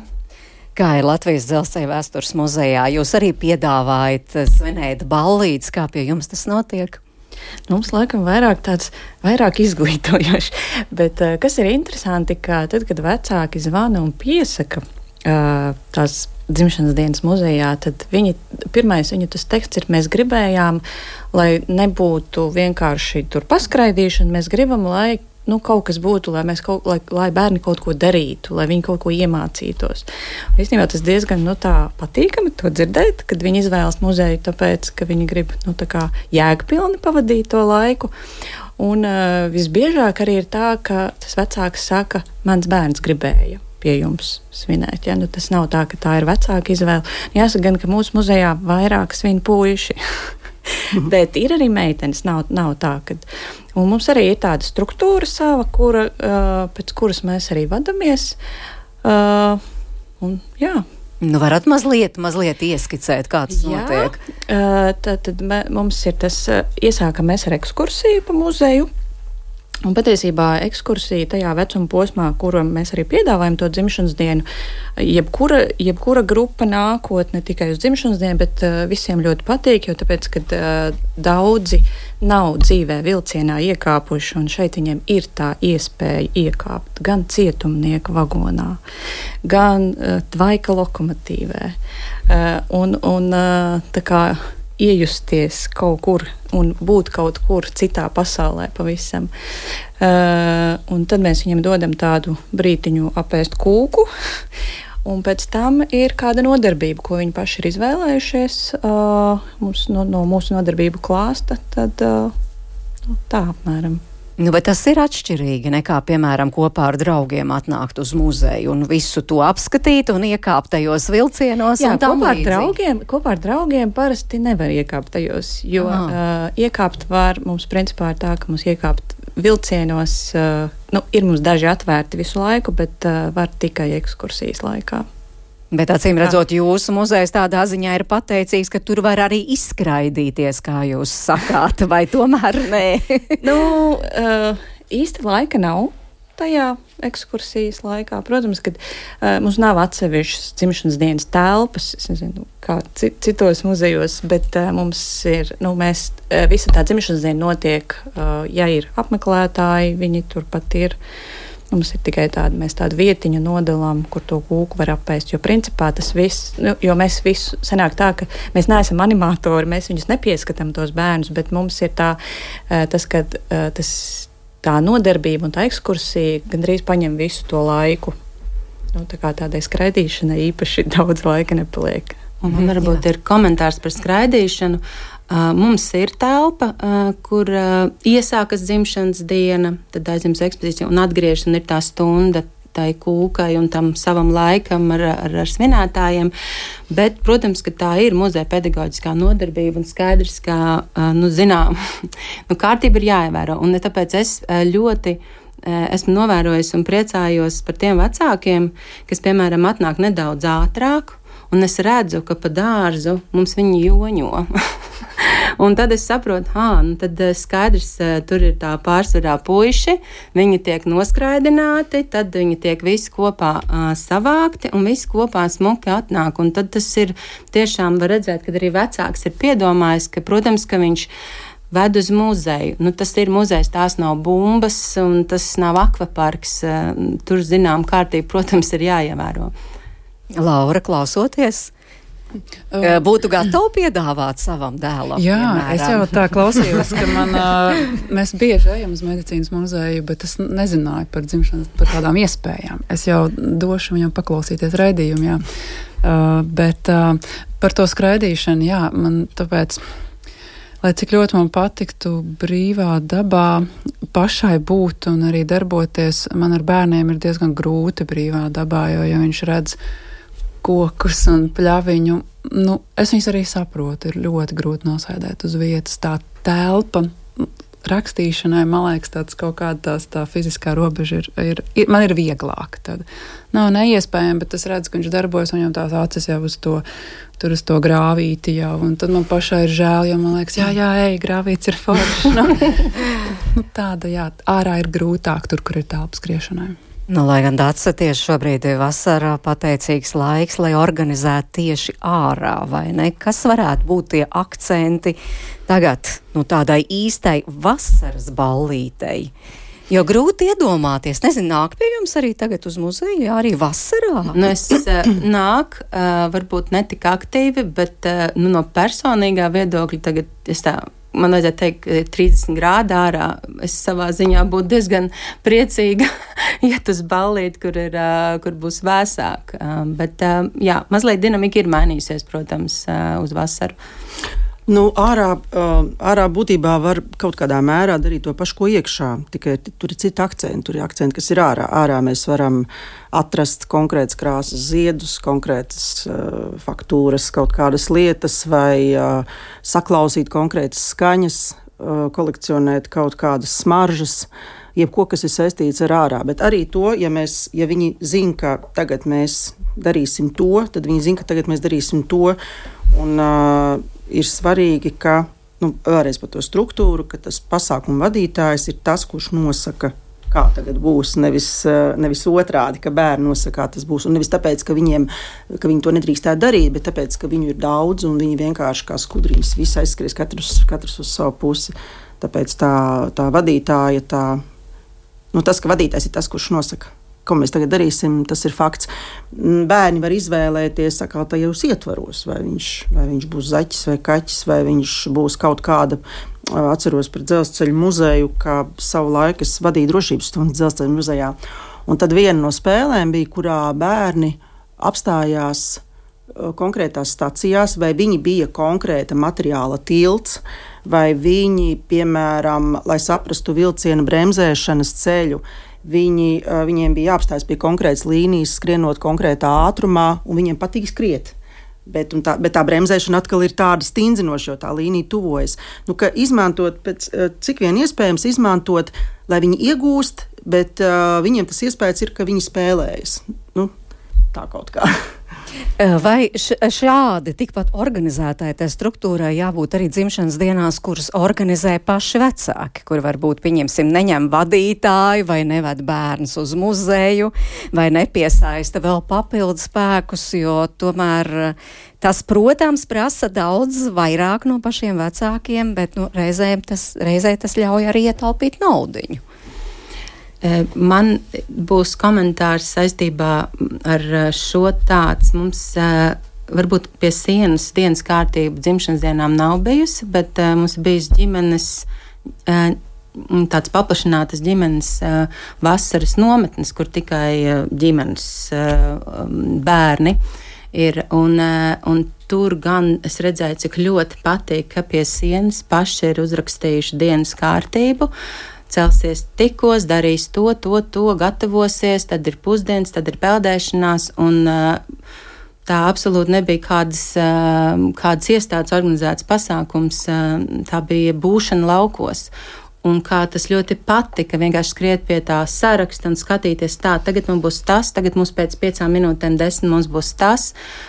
Kā ir Latvijas Dzelzceļa vēstures muzejā? Jūs arī piedāvājat svinēt ballītes, kā pie jums tas notiek? Mums laikam vairāk izglītojoši, bet kas ir interesanti, ka tad, kad vecāki zvana un piesaka tās dzimšanas dienas muzejā, tad viņu tas teksts ir, mēs gribējām, lai nebūtu vienkārši tur paskraidīšana, mēs gribam, lai kaut kas būtu, lai bērni kaut ko darītu, lai viņi kaut ko iemācītos. Īstenībā tas diezgan patīkami to dzirdēt, kad viņi izvēlas muzeju, tāpēc, ka viņi grib jēgpilni pavadīt to laiku. Un visbiežāk arī ir tā, ka tas vecāks saka, mans bērns gribēja pie jums svinēt. Ja? Tas nav tā, ka tā ir vecāka izvēle. Jāsaka gan, ka mūsu muzejā vairāk svin puiši. Bet ir arī meitenes, nav tā, ka... Un mums arī ir tāda struktūra sava, pēc kuras mēs arī vadamies. Varat mazliet ieskicēt, kā tas notiek? Tad mums ir tas, iesākam mēs ar ekskursiju pa muzeju, Un patiesībā ekskursija tajā vecuma posmā, kuru mēs arī piedāvājam to dzimšanas dienu, jebkura grupa nākot ne tikai uz dzimšanas dienu, bet visiem ļoti patīk, jo tāpēc, kad daudzi nav dzīvē vilcienā iekāpuši, un šeit viņiem ir tā iespēja iekāpt gan cietumnieka vagonā, gan tvaika lokomotīvē. Un tā kā iejusties kaut kur un būt kaut kur citā pasaulē pavisam. Un tad mēs viņiem dodam tādu brītiņu apēst kūku, un pēc tam ir kāda nodarbība, ko viņi paši ir izvēlējušies no mūsu nodarbību klāsta, tad tā apmēram. Bet tas ir atšķirīgi nekā, piemēram, kopā ar draugiem atnākt uz muzeju un visu to apskatīt un iekāpt tajos vilcienos. Jā, kopā ar draugiem parasti nevar iekāpt tajos, jo iekāpt var, mums principā ir tā, ka mums iekāpt vilcienos, ir mums daži atvērti visu laiku, bet var tikai ekskursijas laikā. Bet acīm redzot, jūsu muzejs tādā ziņā ir pateicīgs, ka tur var arī izskraidīties, kā jūs sakāt, vai tomēr nē? Īsti laika nav tajā ekskursijas laikā. Protams, ka mums nav atsevišķas dzimšanas dienas telpas, es nezinu, kā citos muzejos, bet mums ir, visa tā dzimšanas diena notiek, ja ir apmeklētāji, viņi turpat ir. Mums ir tikai mēs tādu vietiņu nodalām, kur to kūku var apēst, jo principā tas viss, jo mēs visu sanāk tā, ka mēs neesam animatori, mēs viņus nepieskatām tos bērnus, bet mums ir tā nodarbība un tā ekskursija gandrīz paņem visu to laiku. Tā kā tādai skraidīšanai īpaši daudz laika nepaliek. Un varbūt ir komentārs par skraidīšanu. Mums ir telpa, kur iesākas dzimšanas diena, tad aizjums ekspozīcija un atgriežas, un ir tā stunda tai kūkai un tam savam laikam ar svinētājiem. Bet, protams, ka tā ir muzeja pedagoģiskā nodarbība un skaidrs, ka, kārtība ir jāievēro. Un tāpēc es ļoti esmu novērojis un priecājos par tiem vecākiem, kas, piemēram, atnāk nedaudz ātrāk, un es redzu, ka pa dārzu mums viņi joņo. Un tad es saprotu, tad skaidrs, tur ir tā pārsvarā puiši, viņi tiek noskraidināti, tad viņi tiek visi kopā savākti un visi kopā smuki atnāk. Un tad tas ir tiešām var redzēt, kad arī vecāks ir piedomājis, ka, protams, ka viņš ved uz muzeju. Tas ir muzejs, tās nav bumbas un tas nav akvaparks. Tur, zinām, kārtība, protams, ir jāievēro. Laura, klausoties, būtu gatavi piedāvāt savam dēlam? Jā, piemēram. Es jau tā klausījos, ka mēs bieži ejam uz medicīnas muzeju, bet es nezināju par dzimšanas, par tādām iespējām. Es jau došu viņam paklausīties raidījumu, jā. Bet par to skraidīšanu, jā, man tāpēc, lai cik ļoti man patiktu brīvā dabā pašai būt un arī darboties, man ar bērniem ir diezgan grūti brīvā dabā, jo ja viņš redz kokus un pļaviņu, es viņus arī saprotu, ir ļoti grūti nosēdēt uz vietas. Tā telpa rakstīšanai, man liekas, tāds kaut kāda tā fiziskā robeža man ir vieglāka. Tad nav neiespējami, bet es redzu, ka viņš darbojas, un jau tās acis jau uz to grāvīti jau, un tad man pašai ir žēl, jo man liekas, jā, grāvīts ir forši. Tāda, jā, ārā ir grūtāk tur, kur ir telpa skriešanai. Lai gan Dace tieši šobrīd ir vasarā pateicīgs laiks, lai organizētu tieši ārā, vai ne? Kas varētu būt tie akcenti tagad, tādai īstai vasaras ballītei? Jo grūti iedomāties, nāk pie jums arī tagad uz muzeju, arī vasarā? Es nāk, varbūt ne tik aktīvi, bet no personīgā viedokļa tagad man vajadzētu teikt, 30 grādi ārā. Es savā ziņā būtu diezgan priecīga iet uz ballīti, kur būs vēsāk. Bet, mazliet dinamika ir mainījusies, protams, uz vasaru. Ārā būtībā var kaut kādā mērā darīt to pašu, ko iekšā, tikai tur ir citi akcenti. Tur ir akcenti, kas ir ārā. Ārā mēs varam atrast konkrētas krāsas ziedus, konkrētas faktūras, kaut kādas lietas vai saklausīt konkrētas skaņas, kolekcionēt kaut kādas smaržas, jebko, kas ir saistīts ar ārā. Bet arī to, ja viņi zina, ka tagad mēs darīsim to, tad viņi zina, ka tagad mēs darīsim to. Un ir svarīgi, ka vēlreiz par to struktūru, ka tas pasākuma vadītājs ir tas, kurš nosaka, kā tagad būs, nevis otrādi, ka bērni nosaka, kā tas būs. Un nevis tāpēc, ka viņi to nedrīkstētu darīt, bet tāpēc, ka viņu ir daudz un viņi vienkārši kā skudriņas visi aizskries katrs uz savu pusi. Tāpēc tā vadītāja, tas, ka vadītājs ir tas, kurš nosaka, ko mēs tagad darīsim, tas ir fakts. Bērni var izvēlēties tajos ietvaros, vai viņš būs zaķis vai kaķis, vai viņš būs kaut kāda. Atceros par dzelzceļa muzeju, kā savu laiku es vadīju drošības stundu dzelzceļa muzejā. Un tad viena no spēlēm bija, kurā bērni apstājās konkrētās stacijās, vai viņi bija konkrēta materiāla tilts, vai viņi, piemēram, lai saprastu vilciena bremzēšanas ceļu, viņiem bija jāapstājas pie konkrētas līnijas, skrienot konkrētā ātrumā, un viņiem patīk skriet. Bet tā bremzēšana atkal ir tāda stindzinoša, jo tā līnija tuvojas. Ka izmantot, cik vien iespējams izmantot, lai viņi iegūst, bet viņiem tas iespējas ir, ka viņi spēlējas. Tā kaut kā. Vai šādi tikpat organizētai tai struktūrai jābūt arī dzimšanas dienās, kuras organizē paši vecāki, kur varbūt, pieņemsim, neņem vadītāju vai neved bērns uz muzeju vai nepiesaista vēl papildus spēkus, jo tomēr tas, protams, prasa daudz vairāk no pašiem vecākiem, bet reizē tas ļauj arī ietaupīt naudiņu. Man būs komentārs saistībā ar šo tāds. Mums varbūt pie sienas dienas kārtība dzimšanas dienām nav bijusi, bet mums bijis ģimenes, tāds paplašinātas ģimenes vasaras nometnes, kur tikai ģimenes bērni ir. Un tur gan es redzēju, cik ļoti patīk, ka pie sienas paši ir uzrakstījuši dienas kārtību. Celsies tikos, darīs to, gatavosies, tad ir pusdienas, tad ir peldēšanās, un tā absolūti nebija kādas iestādes organizēts pasākums, tā bija būšana laukos. Un kā tas ļoti patika, vienkārši skriet pie tā saraksta un skatīties tā, tagad mums būs tas, tagad mums pēc 5 minūtēm 10 mums būs tas.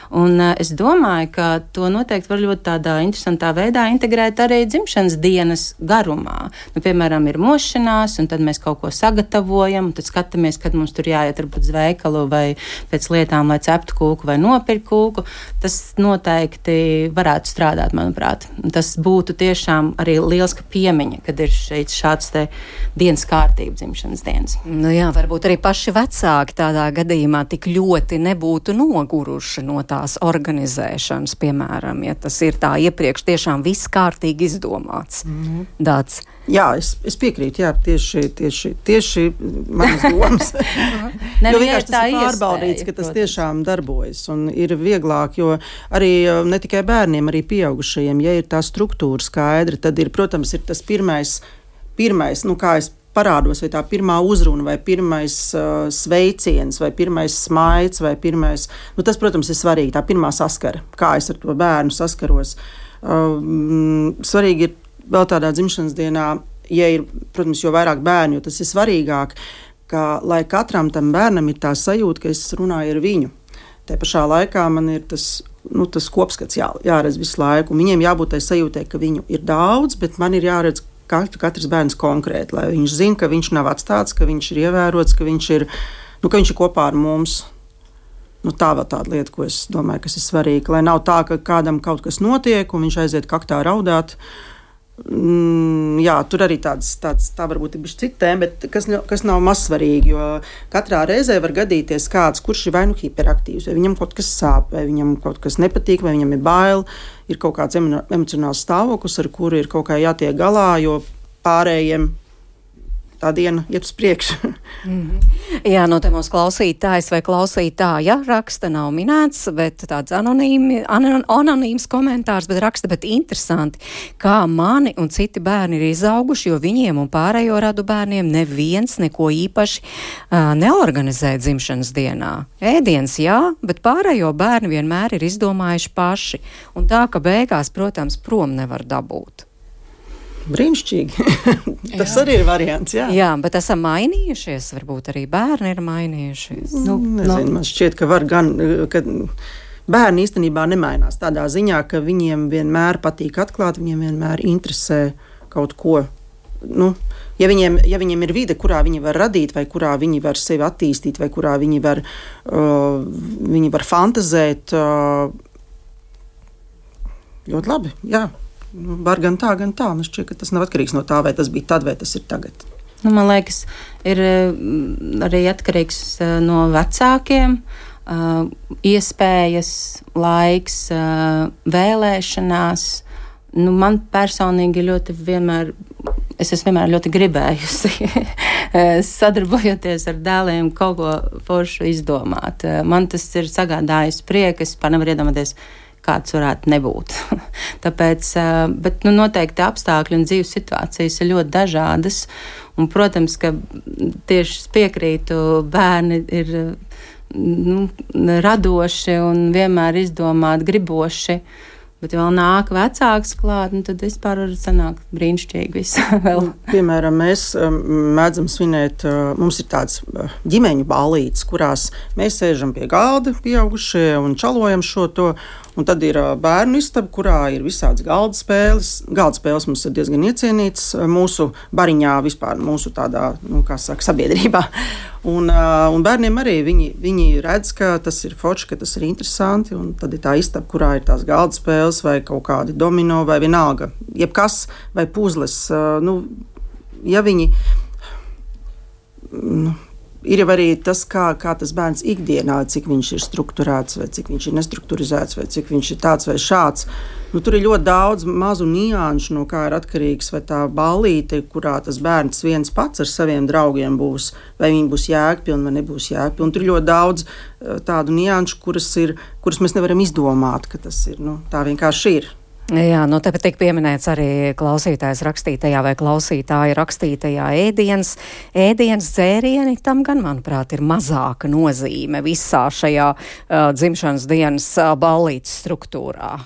Un es domāju, ka to noteikti var ļoti tādā interesantā veidā integrēt arī dzimšanas dienas garumā. Piemēram, ir mošanās, un tad mēs kaut ko sagatavojam, un tad skatāmies, kad mums tur jāiet varbūt uz veikalu vai pēc lietām, lai ceptu kūku vai nopirkt kūku. Tas noteikti varētu strādāt, manuprāt. Tas būtu tiešām arī lielska piemiņa, kad ir šāds te dienas kārtība dzimšanas dienas. Jā, varbūt arī paši vecāki tādā gadījumā tik ļoti nebūtu noguruši no tās organizēšanas, piemēram, ja tas ir tā iepriekš tiešām viss kārtīgi izdomāts. Dāts. Jā, es piekrītu, jā, tieši manas domas. Jo vienkārši tas ir pārbaudīts, ka tas tiešām darbojas un ir vieglāk, jo arī ne tikai bērniem, arī pieaugušajiem, ja ir tā struktūra skaidra, tad ir, protams, ir tas pirmais, kā es parādos, vai tā pirmā uzruna, vai pirmais sveiciens, vai pirmais smaids, vai pirmais, tas, protams, ir svarīgi, tā pirmā saskara, kā es ar to bērnu saskaros. Svarīgi ir vēl tādā dzimšanas dienā, ja ir, protams, jo vairāk bērni, jo tas ir svarīgāk, ka, lai katram tam bērnam ir tā sajūta, ka es runāju ar viņu. Te pašā laikā man ir tas kopskats jāredz visu laiku, un viņiem jābūt tai sajūtai, ka viņu ir daudz, bet man ir jāredz katrs bērns konkrēti, lai viņš zina, ka viņš nav atstāts, ka viņš ir ievērots, ka viņš ir kopā ar mums. Tā vēl tāda lieta, ko es domāju, kas ir svarīga, lai nav tā, ka kādam kaut kas notiek, un viņš aiziet kaktā raudāt. Jā, tur arī tā varbūt ir bišķi cita tēma, bet kas nav mazsvarīgi, jo katrā reizē var gadīties kāds, kurš ir vai hiperaktīvs, vai viņam kaut kas sāp, vai viņam kaut kas nepatīk, vai viņam ir bail, ir kaut kāds emocionāls stāvoklis, ar kuru ir kaut kā jātiek galā, jo pārējiem tā diena iet uz priekšu. Jā, te mums klausītājs vai klausītāja raksta, nav minēts, bet tāds anonīms komentārs, bet interesanti, kā mani un citi bērni ir izauguši, jo viņiem un pārējo radu bērniem neviens neko īpaši neorganizē dzimšanas dienā. Ēdiens, jā, bet pārējo bērni vienmēr ir izdomājuši paši, un tā, ka beigās, protams, prom nevar dabūt. Brīnišķīgi. Tas arī ir variants, jā. Jā, bet esam mainījušies, varbūt arī bērni ir mainījušies. Nezinu, man šķiet, ka var gan, ka bērni īstenībā nemainās tādā ziņā, ka viņiem vienmēr patīk atklāt, viņiem vienmēr interesē kaut ko. Nu, ja viņiem ir vide, kurā viņi var radīt, vai kurā viņi var sevi attīstīt, vai kurā viņi var fantazēt, ļoti labi, jā. Var gan tā. Man šķiet, ka tas nav atkarīgs no tā, vai tas bija tad, vai tas ir tagad. Nu, man liekas, ir arī atkarīgs no vecākiem, iespējas, laiks, vēlēšanās. Nu, man personīgi es esmu vienmēr ļoti gribējusi sadarbojoties ar dēliem kaut ko foršu izdomāt. Man tas ir sagādājis prieku, es par nevaru iedomāties, kāds varētu nebūt. Tāpēc, bet noteikti apstākļi un dzīves situācijas ir ļoti dažādas. Un, protams, ka tieši piekrītu, bērni ir radoši un vienmēr izdomāt griboši. Bet vēl nāk vecāks klāt, tad vispār var sanākt brīnišķīgi viss vēl. Piemēram, mēs mēdzam svinēt, mums ir tāds ģimeņu ballītes, kurās mēs sēžam pie galda, pieaugušie, un čalojam šo to. Un tad ir bērnu istaba, kurā ir visādas galda spēles. Galda spēles mums ir diezgan iecienītas mūsu bariņā, vispār mūsu tādā, sabiedrībā. Un bērniem arī viņi redz, ka tas ir forši, ka tas ir interesanti. Un tad ir tā istaba, kurā ir tās galda spēles vai kaut kādi domino vai vienalga. Jebkas vai puzles. Ja viņi... Ir jau arī tas, kā tas bērns ikdienā, cik viņš ir strukturēts, vai cik viņš ir nestrukturizēts, vai cik viņš ir tāds vai šāds. Tur ir ļoti daudz mazu nianšu, no kā ir atkarīgs, vai tā ballīte, kurā tas bērns viens pats ar saviem draugiem būs, vai viņi būs jēgpilni vai nebūs jēgpilni. Tur ir ļoti daudz tādu nianšu, kuras mēs nevaram izdomāt, ka tas ir. Tā vienkārši ir. Jā, tāpēc tiek pieminēts arī klausītājs rakstītajā vai klausītāja rakstītajā ēdienas dzērieni. Tam gan, manuprāt, ir mazāka nozīme visā šajā dzimšanas dienas ballītes struktūrā.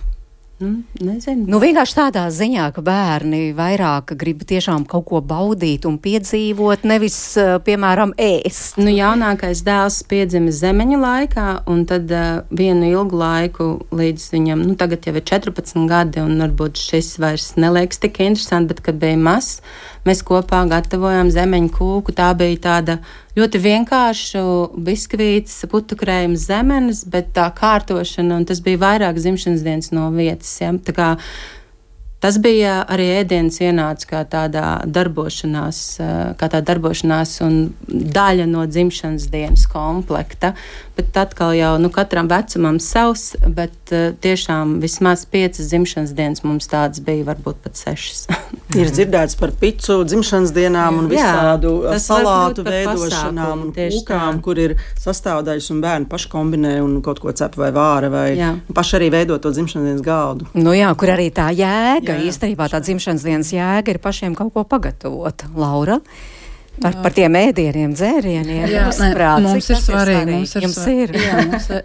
Nezinu. Vienkārši tādā ziņā, ka bērni vairāk grib tiešām kaut ko baudīt un piedzīvot, nevis, piemēram, ēst. Jaunākais dēls piedzima zemeņu laikā, un tad vienu ilgu laiku līdz viņam, tagad jau ir 14 gadi, un varbūt šis vairs neliekas tik interesanti, bet, kad bija mazs, mēs kopā gatavojām zemeņu kūku. Tā bija tāda ļoti vienkārša biskvīts, putukrējums zemenes, bet tā kārtošana, un tas bija vairāk dzimšanas dienas no vietas. Ja? Tā kā tas bija arī ēdienas ienāca kā tāda darbošanās un daļa no dzimšanas dienas komplekta. Bet atkal jau katram vecumam savs, bet tiešām vismaz 5 dzimšanas dienas mums tādas bija, varbūt pat 6. Ir dzirdēts par picu dzimšanas dienām un visādu salātu veidošanām un kūkām, kur ir sastāvdaļas un bērni paši kombinē un kaut ko cep vai vāra vai paši arī veido to dzimšanas dienas galdu. Kur arī tā jēga, īstenībā tā dzimšanas dienas jēga ir pašiem kaut ko pagatavot. Laura? Par tiem ēdieniem, dzērieniem. Mums ir svarīgi. Mums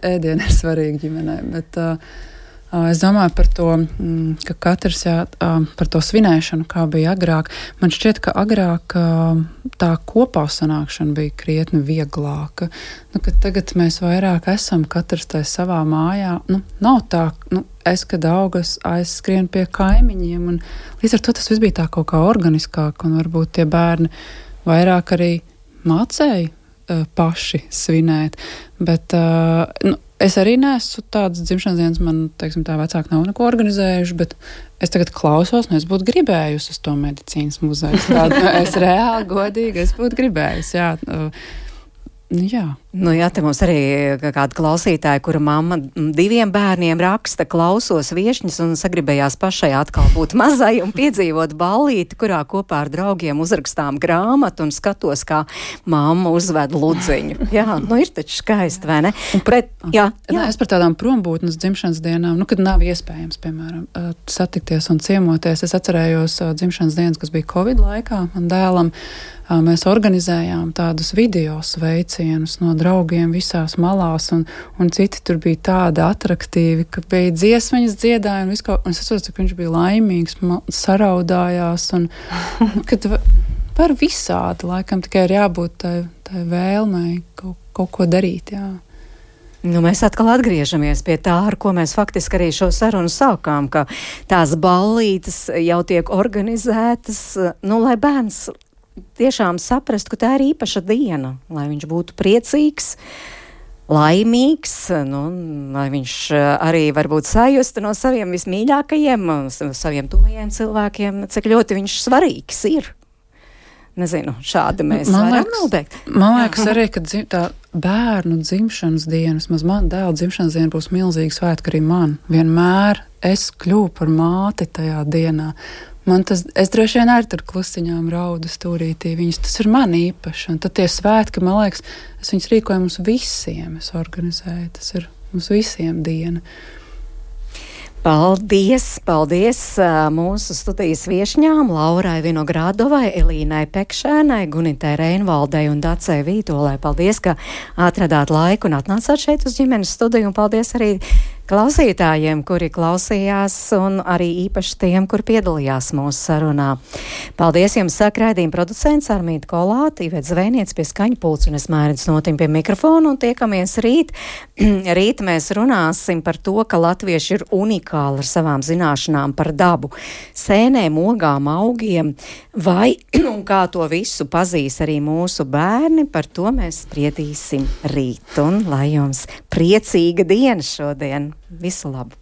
ēdieni ir svarīgi ģimenei, bet es domāju par to, ka katrs par to svinēšanu, kā bija agrāk. Man šķiet, ka agrāk tā kopā sanākšana bija krietni vieglāka. Ka tagad mēs vairāk esam katrs tai savā mājā. Nav tā, es, kad augas, aizskrien pie kaimiņiem, un līdz ar to tas viss bija tā kaut kā organiskāk, un varbūt tie bērni vairāk arī mācēja paši svinēt. Bet es arī neesmu tādas dzimšanas dienas, man, teiksim, tā vecāki nav neko organizējuši, bet es tagad klausos, es būtu gribējusi uz to medicīnas muzeju. Es reāli godīgi, es būtu gribējusi, jā. Te mums arī kāda klausītāja, kura mamma 2 bērniem raksta, klausos viešņas un sagribējās pašai atkal būt mazai un piedzīvot ballīti, kurā kopā ar draugiem uzrakstām grāmatu un skatos, kā mamma uzved ludziņu. Ir taču skaisti, vai ne? Es par tādām prombūtnes dzimšanas dienām, kad nav iespējams, piemēram, satikties un ciemoties. Es atcerējos dzimšanas dienas, kas bija Covid laikā, man dēlam. Mēs organizējām tādus video sveicienus no draugiem visās malās, un citi tur bija tādi atraktīvi, ka bija dziesmaņas dziedāja, un es atceros, ka viņš bija laimīgs, saraudājās, un kad var visādi, laikam tikai ir jābūt tai vēlmei kaut ko darīt, jā. Mēs atkal atgriežamies pie tā, ar ko mēs faktiski arī šo sarunu sākām, ka tās ballītes jau tiek organizētas, lai bērns tiešām saprast, ka tā ir īpaša diena, lai viņš būtu priecīgs, laimīgs, lai viņš arī varbūt sajusta no saviem vismīļākajiem, saviem tuvajiem cilvēkiem, cik ļoti viņš svarīgs ir. Nezinu, šādi mēs varam nobeigt. Man liekas arī, ka tā bērnu dzimšanas diena, vismaz man dēla dzimšanas diena būs milzīgi svētki arī man. Vienmēr es kļuvu par māti tajā dienā. Es droši vien arī tur klusiņām raudu stūrītī viņus. Tas ir man īpaši. Un tad tie svētki, man liekas, es viņus rīkoju mums visiem. Es organizēju. Tas ir mums visiem diena. Paldies mūsu studijas viešņām Laurai Vinogradovai, Elīnai Pekšēnai, Gunitai Reinvaldei un Dacei Vītolai. Paldies, ka atradāt laiku un atnācāt šeit uz ģimenes studiju, un paldies arī klausītājiem, kuri klausījās, un arī īpaši tiem, kur piedalījās mūsu sarunā. Paldies jums, saka raidījuma producents Armīta Kolāte, Iveta Zvēniec pie skaņu pults, un es Mērits Notim pie mikrofona, un tiekamies rīt. Rīt mēs runāsim par to, ka latvieši ir unikāli ar savām zināšanām par dabu, sēnēm, ogām, augiem, vai un kā to visu pazīs arī mūsu bērni, par to mēs spriedīsim rīt, un lai jums priecīga diena šodien. Visu labu!